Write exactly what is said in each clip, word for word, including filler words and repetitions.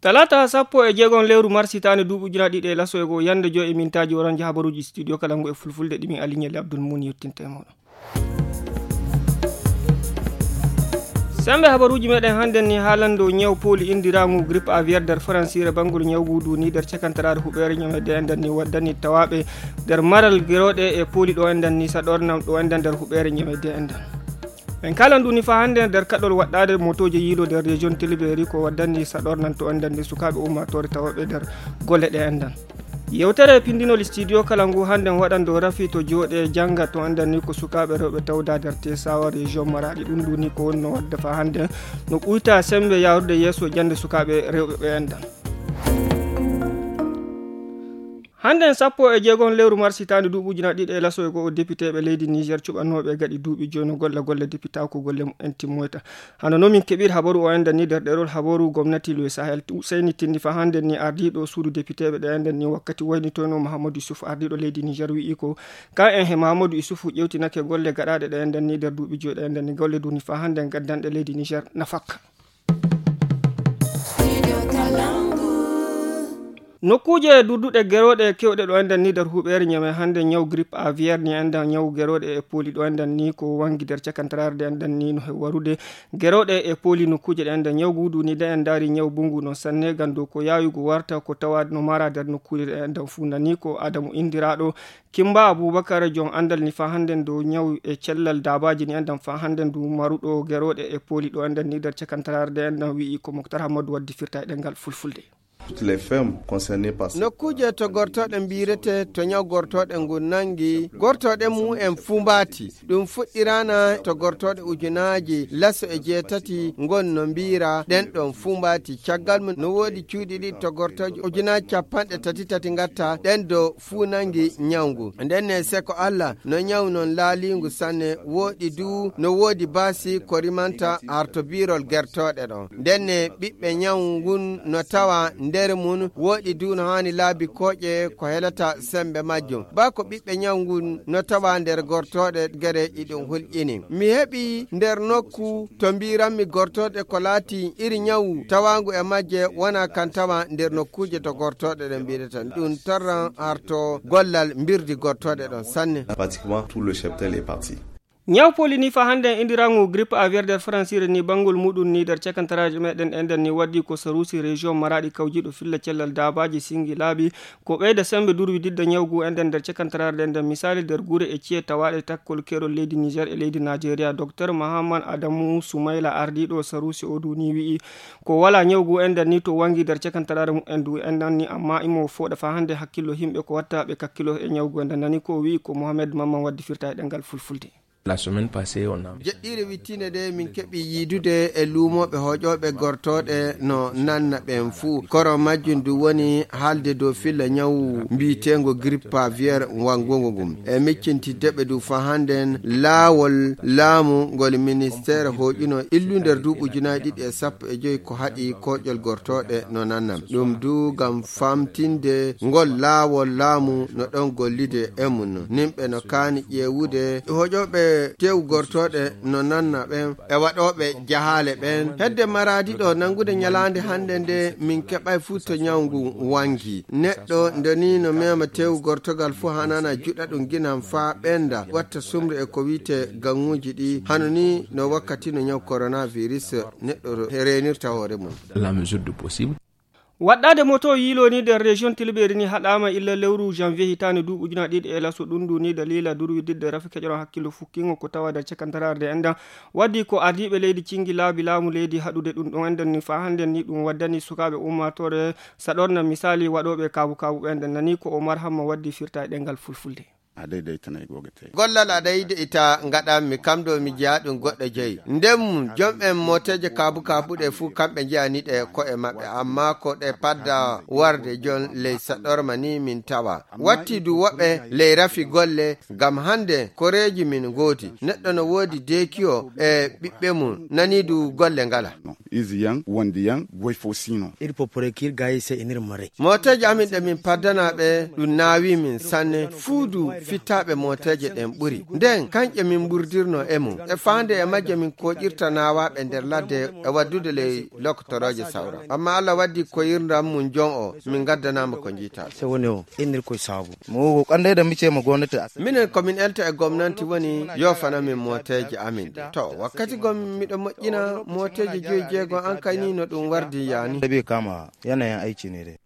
Talaata sappo e jeegom lewru mars hitaande duuɓi ujunaaji ɗiɗi e laso e goo, yannde joy e mintaaji, oɗon njaha habaruuji studio kala ngu e fulfulde, ɗi min Aliou Nialy Abdoul Mouni yottinta e mooɗon. Semmbe habaruuji meɗen hannden ni haalande o ñaw pooli inndiraangu grippe aviaire nder faransiire, banngol ñaw ngu du ni nder cakantaraare huɓeere ñame de enɗan ni waddani tawaaɓe nder maral gerooɗe e pooli ɗo enɗan ni saɗornam ɗo enɗan nder huɓeere ñame de enɗan. En kaalan du ni faa hannden nder kaɗol waɗɗaade motooje yiilo nder région Tiliberi ko waddani saɗornam to enɗan ni sukaaɓe ummaatoore tawaaɓe nder golle ɗe enɗan. Yewtere pindinol studio kala ngu hannden waɗan dow rafi to jooɗe jannga to enɗan ni ko sukaaɓe rewɓe tawda nder Tesawa région Maraɗi. Ɗum du ni ko wonno wadde faa hannden no ɓuyta semmbe yaarude yeeso jannde sukaaɓe rewɓe ɓe enɗan. Hannden sappo e jeegom lewru mars hitaande duuɓi ujunaaji ɗiɗi e laso e goo, depiteeɓe leydi Niger cuɓanooɓe gaɗi duuɓi joy no golla golle depitaaku golle mumen timmoyta. Hano no min keɓiri habaru o enɗan ni nder ɗerol habaru gomnati Louis Sahel Ousseyni Tinni faa hannden ni ardiiɗo suudu depiteeɓe ɗe enɗan ni wakkati waynitoyno Mahamadou Issouf ardiiɗo leydi Niger wi'i ko kan en he Mahamadou Issouf ƴewtinake golle gaɗaaɗe ɗe enɗan ni nder duuɓi joy ɗe enɗan ni golle du ni faa hannden gaddanɗe leydi Niger nafakka. Nokkuuje durduɗe gerooɗe kewɗe ɗo enɗan ni nder huɓeere ñame hannde ñaw grippe aviaire ni enɗan ñaw gerooɗe e pooli ɗo enɗan ni ko wanngi nder cakantaraare ɗe enɗan ni no he warude gerooɗe e pooli nokkuuje ɗe enɗan ñaw gudu ni de en ndaari ñaw bungu noon sanne ganndo ko yaayugo warta ko tawa no mara nder nokkuuje ɗe enɗan fuu nani ko Adamu inndiraaɗo Kimba Abubakar jon anndal ni faa hannden dow ñaw e cellal daabaaji ni enɗan faa hannden du maruɗo gerooɗe e pooli ɗo enɗan ni nder cakantaraare ɗe enɗan wi'i ko Moktar Hammadu waddi firta e ɗemngal fulfulde. Toutes les fermes concernées par ce Nokkuuje to gortooɗe mbiirete to ñaw gortooɗe ngu nanngi, gortooɗe mum en fuu mbaati. Ɗum fuɗɗiraana to gortooɗe ujunaaji laso e jeetati ngon no mbiira ɗen ɗon fuu mbaati. Caggal mum no woodi cuuɗi ɗiɗi to gortooje ujunaaji capanɗe tati tati ngatta ɗen do fuu nanngi ñaw ngu. Nden ne seko Allah no ñaw non laaliingu sanne, woɗi du no woodi baasi ko rimanta arto biirol gertooɗe ɗon. Nden ne ɓiɓɓe ñaw ngun no tawa nder mum, woɗi du no haani laabi kooƴe ko helata semmbe majjum. Baa ko ɓiɓɓe ñaw ngun no tawa nder gortooɗe gere iɗum hulƴini. Mi heɓi nder nokku to mbiiranmi gortooɗe ko laati iri ñawu tawaangu e majje wona kan tawa nder nokkuuje to gortooɗe ɗen mbiirata. Ɗum torran arto gollal mbirdi gortooɗe ɗon sanne. Pratiquement tout le cheptel est parti. Ñaw pooli ni faa hannden inndirangu grippe aviaire nder faransiire ni banngol muɗum ni nder cakantaraaji meɗen enɗan ni waddi ko saruusi région Maraɗi kawjiiɗo filla cellal daabaaji singi laabi ko ɓeyda semmbe durwi didda ñaw ngu enɗan nder cakantaraare ɗe enɗan misaali nder gure e ci'e tawaaɗe takkol keerol leydi Niger e leydi Najeriya. Doktor Mahaman Adamu Sumayla ardiiɗo saruusi o du ni wi'i ko walaa ñaw ngu enɗan ni to wanngi nder cakantaraare mumen du enɗan ni amma imo fooɗa faa hannde hakkillo yimɓe ko watta ɓe kakkilo e ñaw ngu enɗan nani ko wi'i ko Mohamed Mamman waddi firta e ɗemngal fulfulde. La semaine passée, on a Jeɗɗiire wittiinde de min keɓi yiidude e luumooɓe hoƴooɓe gortooɗe no nanna ɓen fuu. Koro majjum du woni haalde dow filla ñawu mbiiteengo grippe aviaire wanngungo ngum. E miccintidde ɓe du faa hannden laawol laamu ngol ministeere hoƴuno illu nder duuɓi ujunaaji ɗiɗi e sappo e joy ko haɗi koƴol gortooɗe no nanna. Ɗum du ngam famtinde ngol laawol laamu no ɗon gollide e mum. Nimɓe no kaani ƴeewude hoƴooɓe tew gortooɗe no nanna ɓen e waɗooɓe jahaale ɓen. Hedde maraadi ɗo nanngude ñalaande hannde nde min keɓay fuu to ñaw ngu wangi. Neɗɗo nde ni no mema tew gortogal fuu hanana juɗa ɗum ginan faa ɓenda watta sumre e ko wi'ete gaŋuuji ɗi hano ni no wakkati no ñaw coronavirus neɗɗo reenirta hoore mum. La mesure du possible. Waɗɗaade moto yiiloo ni nder région Tilbeeri ni haɗaama illa lewru janvier hitaande duuɓi ujunaaji ɗiɗi e laso ɗum ndu ni daliila durwi didde rafi keƴoron hakkillo fukkingo ko tawa nder cakantaraare nde enɗan. Waddi ko ardiiɓe leydi cingi laabi laamu leydi haɗude ɗum ɗon enɗan ni faa hannden ni ɗum waddani sukaaɓe ummaatoore saɗorna misaali waɗooɓe kaabu kaabu ɓe enɗan nani ko Omar Hamma waddi firta e ɗemngal fulfulde. A daidaita na goga te. Gollal a daidaita ngaɗanmi kam ɗo mi jeya ɗum goɗɗo jeyi. Nden mum jom'en mooteeje kaabu kaabuɗe fuu kamɓe njeyani ɗe ko'e maɓɓe, ammaa ko ɗe padda warde jon ley saɗorma ni min tawa. Watti du woɓɓe ley rafi golle, ngam hannde koreeji min ngoodi. Neɗɗo no woodi deekiyo e ɓiɓɓe mum, nani du golle ngala. Izi yan, wondi yan, goy fo sino. Iri popore kir gayi se inir mare. Mooteeji amin ɗe min paddana ɓe ɗum naawi min sanne. Fuudu Fittaaɓe mooteeje ɗen ɓuri. Nden, kanƴe min mburdirno e mum. E faande e majje min kooƴirta naawaaɓe nder ladde e waddude ley lokotorooje sawra. Amma Alla waddi koyirndam mum jon o, min ngaddanaama ko njiitaa. Se woni o, innir koye saabu. Mo wo ko annde da mice mo gomnati as. Minen ko min elta e gomnanti woni yoofana min mooteeje amin ɗe. To, wakkati gom miɗo moƴƴina mooteeje joyi jeego an kay ni no ɗum wardi yaani. Tabi kama yanayin aiki ne dai.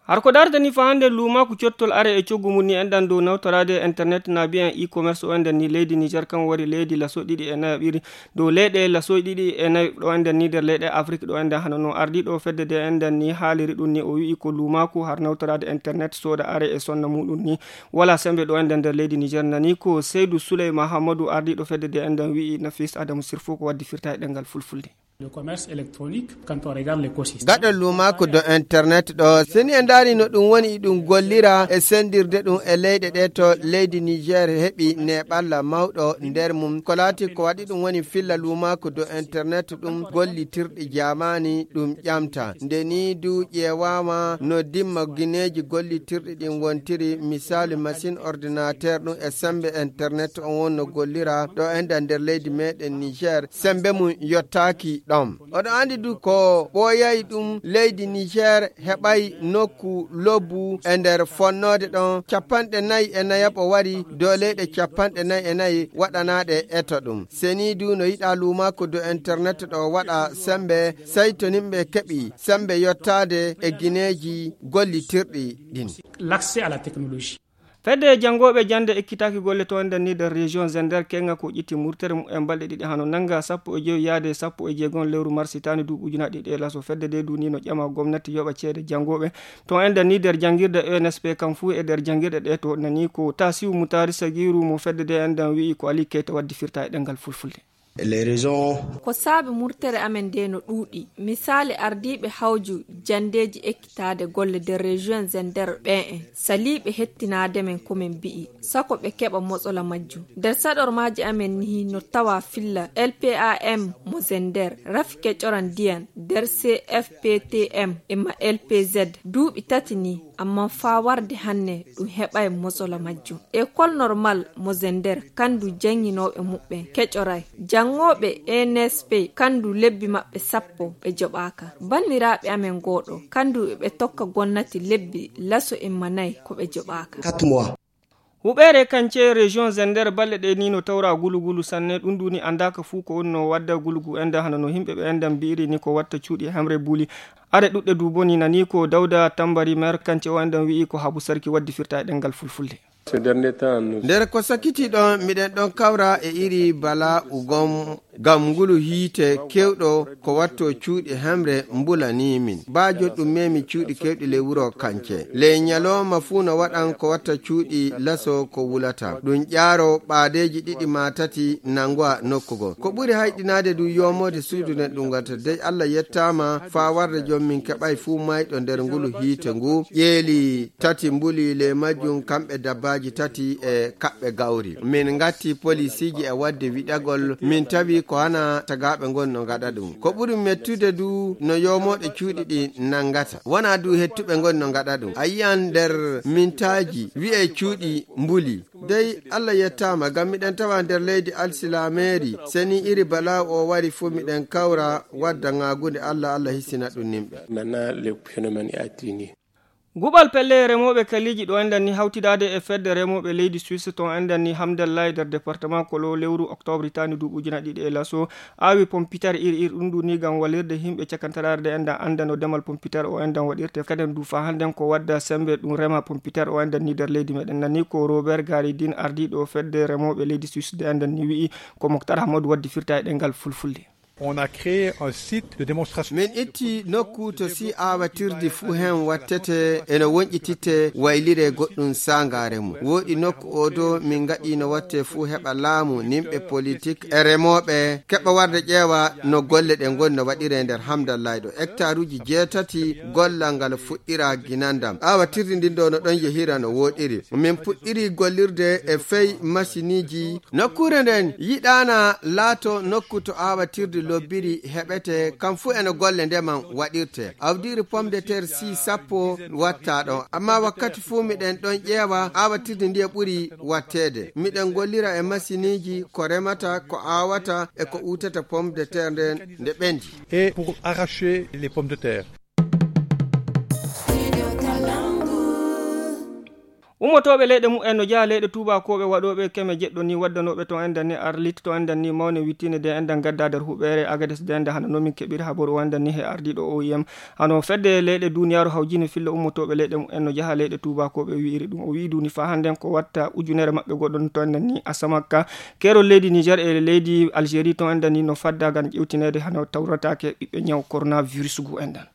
Har ko dartani fa hannde luumaaku cottol are e coggu mum ni enɗan dow nawtoraade e internet na biyen e-commerce o enɗan ni leydi Niger kan wari leydi laso ɗiɗi e nayo ɓiri dow leyɗe laso ɗiɗi e nayo ɗo enɗan ni nder leyɗe Afrik ɗo enɗan hano no ardiiɗo fedde de enɗan ni haaliri ɗum ni o wi'i ko luumaaku har nawtoraade internet sooda are e sonna muɗum ni wala sembe ɗo enɗan nder leydi Niger nani ko Seydou Souley Mahamadou ardiiɗo fedde de enɗan wi'i Nafis Adamu Sirfo ko waddi firta e ɗemngal fulfulde. Le commerce électronique, quand on regarde l'écosystème. Gaɗo luumaaku do internet ɗo, seni en ndaari no ɗum woni ɗum gollira e sendirde ɗum e leyɗe ɗe to leydi Niger heɓi neeɓalla mawɗo nder mum. Ko laati ko waɗi ɗum woni filla luumaaku do internet ɗum gollitirɗi jaamaani ɗum ƴamta. Nde ni du ƴeewaama no dimma gineeji gollitirɗi ɗin wontiri, misali machine ordinateur ɗum e sembe internet on wonno gollira ɗo enɗan nder leydi meɗen Niger. Sembe mum yottaaki ɗon. Oɗo andi du ko ɓooyay ɗum leydi Niger heɓay nokku lobbu e nder fonnoode ɗon capanɗe nayi e nayaɓo wari dow leyɗe capanɗe nayi e nayi waɗanaaɗe eto ɗum. Seni du no yiɗa luumaaku do internet ɗo waɗa sembe, sey to nimɓe keɓi sembe yottaade e gineeji gollitirɗi ɗin. L'accès à la technologie. Fedde janngooɓe jannde ekkitaaki golle to enɗan ni nder région Zender kenga ko ƴitti murtere mum e balɗe ɗiɗi hano nannga sappo e jowi yaade sappo e jeegom lewru mars hitaande duuɓi ujunaaɗe ɗiɗi e laso. Fedde de duni no ƴama gomnati yoɓa ceede janngooɓe to enɗan ni nder janngirde E N S P kam fuu e nder janngirɗe ɗe to nani ko Tasiu Mutari Sagiru mo fedde de enɗan wi'i ko Ali Keita waddi firta e ɗemngal fulfulde. Les raisons. Ko saabi murtere amen nde no ɗuuɗi. Misaali ardiiɓe hawju janndeeji ekkitaade golle nder région Zender ɓen en saliiɓe hettinaade men ko min mbi'i, sako ɓe keɓa motsola majjum. Nder saɗormaaji amen nihi no tawa filla L P A M mo Zender, rafi kecoran ndiyan nder C F P T M e ma L P Z duuɓi tati ni. Amma faa warde hanne ɗum heɓay motsola majjum. École normal mo Zender, kandu jannginooɓe muɓɓen kecoray. Janngooɓe E N S P, kandu lebbi maɓɓe sappo ɓe joɓaaka. Banniraaɓe amen gooɗo, kandu ɓe tokka gonnati lebbi laso imma nayi ko ɓe joɓaaka. Quatre mois. Huɓeere kance région Zender balɗe ɗe ni no tawra gulugulu sanne, ɗum duni anndaaka fuu ko woni no wadda gulugu enda hano no yimɓe ɓe enɗan mbi'iri ni ko watta cuuɗi hemre buli. Are ɗuɗɗe du boni nani ko Dawda Tambari maire kance o enɗan wi'i ko Habu Sarki waddi firta e ɗemngal fulfulde. Ces derniers temps, nous. Nder ko sakiti ɗon miɗen ɗon kawra e iri bala ugom ngam ngulu hiite kewɗo ko watto cuuɗi hemre mbulani min. Baajo ɗum memi cuuɗi kewɗi ley wuro kance. Ley nyalooma fuu no waɗan ko watta cuuɗi laso ko wulata. Ɗum ƴaaro ɓaadeeji ɗiɗi maa tati nanguwa nokku goo. Ko ɓuri hayɗinaade du yoomoode suudu nden ɗum ngata. Dey Allah yettaama faa warde jom min keɓay fuu mayɗo nder ngulu hiite ngu. Ƴeeli tati mbuli ley majjum kamɓe dabbaaji tati e kaɓɓe gawri. Min ngatti polisiiji e wadde wiɗagol min tawi ko hana tagaaɓe ngon no ngaɗa ɗum. Ko ɓuri mettude du no yoomooɗe cuuɗi ɗi nangata. Wona du hettuɓe ngon no ngaɗa ɗum. A yi'an nder mintaaji wi'e cuuɗi mbuli. Dey Allah yettaama ngam miɗen tawa nder leydi alsilaameeri. Seni iri balaa o wari fuu miɗen kawra wadda ŋaagunde Allah, Allah hisina ɗum nimɓe. Maintenant, le phénomène est atténué. Guɓal pelle remooɓe kaliiji ɗo enɗan ni hawtidaade e fedde remooɓe leydi Suisse to enɗan ni Hamdallahi nder département Kolo lewru octobre hitaande duuɓi ujunaaji ɗiɗi e laso aawi pompitar ir ir ɗum ɗum ni ngam walirde yimɓe cakantaraare nde enɗan annda no demal pompitar o enɗan waɗirte. Kaden du fa hannden ko wadda sembe ɗum rema pompitar o enɗan ni nder leydi meɗen nani ko Robert Garidin ardiiɗo fedde remooɓe leydi Suisse nde enɗan ni wi'i ko Moktar Ahmadu waddi firta e ɗemngal fulfulde. On a créé un site de démonstration. Min itti nokku to si aawatirdi fuu hen wattete ene wonƴititte waylire goɗɗum saangaare mum. Wooɗi nokku o do min ngaɗi no watte fuu heɓa laamu, nimɓe politik e remooɓe keɓa warde ƴeewa no golle ɗe ngoni no waɗire nder Hamdallahi ɗo. Hectaruuji jeetati gollal ngal fuɗɗira ginandam. Aawatirdi ndin ɗo no ɗon yehira no wooɗiri. Min puɗɗiri gollirde e fey masiniiji. Nokkuure nden yiɗaana laato nokku to aawatirdi Lobbiri heɓete, kam fuu eno golle ndeman waɗirte. Awdiiri pomme de terre six sappo watta ɗon. Amma wakkati fuu miɗen ɗon ƴeewa, aawatirde ndiye ɓuri watteede. Miɗen gollira e masiniiji ko remata, ko aawata e ko uutata pomme de terre nden nde ɓendi. Et pour arracher les pommes de terre. Ummotooɓe leyɗe mumen no njaha leyɗe tuubakooɓe waɗooɓe keme jeɗɗo ni, waddanooɓe to enɗan ni arlit, to enɗan ni mawne wittine de enɗan gadda nder huɓeere Agades de enɗan hano nomin keɓiri habaru o enɗan ni he ardiiɗo O I M. Hano fedde leyɗe duniyaaru hawjine filla ummotooɓe leyɗe mumen no njaha leyɗe tuubakooɓe wi'iri ɗum. O wi'i duni faa hannden ko watta ujunere maɓɓe goɗɗo to enɗan ni Asamakka. Keerol leydi Niger e leydi Algérie to enɗan ni no fadda ngam ƴewtineede hano tawrataake ɓiɓɓe ñaw coronavirus gu enɗan.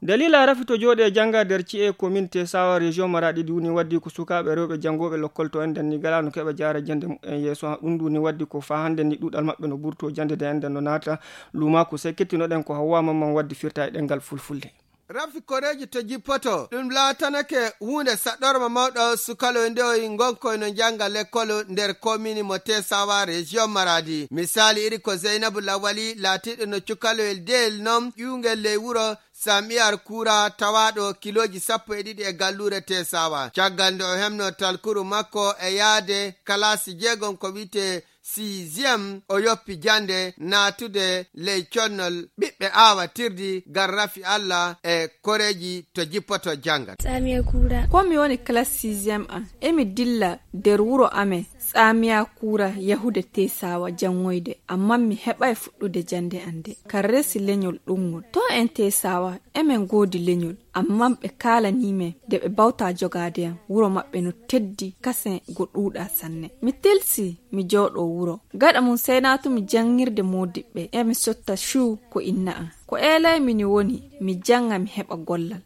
Dalila rafito jooɗe jannga nder ci'e commune Tesawa région Maradi duni waddi ko sukaaɓe rewɓe janngooɓe lokkol to enɗan ni galano keɓa jaara jannde mumen yeeso. Ɗum duni waddi ko faa hannden ni ɗuɗal maɓɓe no burto jannde de enɗan no naata lumaku. Sey kettinoɗen ko Hawwa Mamman waddi firta e ɗemngal fulfulde. Rafi koreeji to jippoto, ɗum laatanake huunde saɗɗorma mawɗo sukaloy ndewoy ngonkoy no njannga lekkol nder komini mo Tesawa région Maradi. Misaali iri ko Zeynabu Lawali laatiiɗo no cukaloyel deyel non ƴuungel ley wuro Samiyar Kuura tawaaɗo kilooji sappo e ɗiɗi e galluure Tesawa. Caggal nde o hemno talkuru makko e yaade kalaasi jeegom ko wi'etee sixième, o yoppi jannde naatude ley connol ɓiɓɓe aawatirdi ngam rafi Allah e koreeji to jippoto janngat. Tsamiya Kuura. Ko mi woni classe sixième an, emi dilla nder wuro amen, Tsamiya Kuura yahude Tesawa janngoyde, amma mi heɓaay fuɗɗude jannde an de. Kan resi leñol ɗum ngol. To en Tesawa, emen ngoodi leñol, amma ɓe kaalanii men nde ɓe bawta jogaade am. Wuro maɓɓe no teddi, kasen go ɗuuɗa sanne. Mi tilsi mi jooɗo wuro. Gaɗa mum sey naatumi janngirde moodiɓɓe, emi sotta cuu ko inna am. Ko eelaymi ni woni, mi jannga mi heɓa gollal.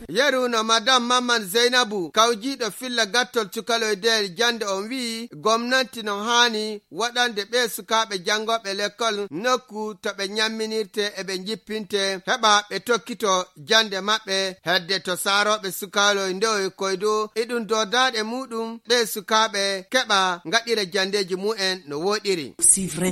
Yeru no Madame Mamman Zeynabu, kawjiiɗo filla gattol cukaloy deyel jannde on wi'i, gomnanti no haani waɗande ɓee sukaaɓe janngooɓe lekkol nokku to ɓe ñamminirte e ɓe njippinte, heɓa ɓe tokkito jannde maɓɓe. Hedde to saarooɓe sukaloy ndewoy koy du, iɗum doodaaɗe muuɗum ɓee sukaaɓe keɓa ngaɗira janndeeji mumen no wooɗiri.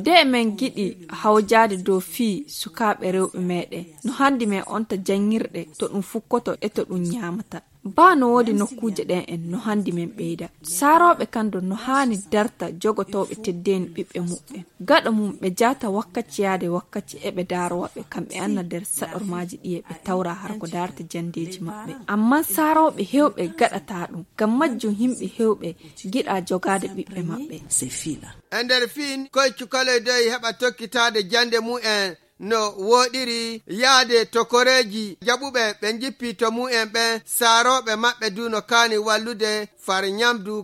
De men ngiɗi hawjaade dow fii sukaaɓe rewɓe meeɗen, no handi men onta janngirɗe to ɗum fukkoto e to ɗum ñaamata. Baa no woodi nokkuuje ɗen en no handi men ɓeyda. Saarooɓe kan don no haani darta jogotooɓe teddeeni ɓiɓɓe muɓɓen. Gaɗa mum ɓe jaata wakkaci yaade wakkaci e ɓe daarowa ɓe kam ɓe anna nder saɗormaaji ɗiye ɓe tawra har ko daarta janndeeji maɓɓe. Amma saarooɓe heewɓe gaɗataa ɗum. Ngam majjum himɓe heewɓe giɗa jogaade ɓiɓɓe maɓɓe. E nder fiin, koy cukaloy dey heɓa tokkitaade jannde mumen no wooɗiri yaade to koreeji jaɓuɓe ɓe njippi to mumen ɓen, saarooɓe maɓɓe du no kaani wallude far ñamdu.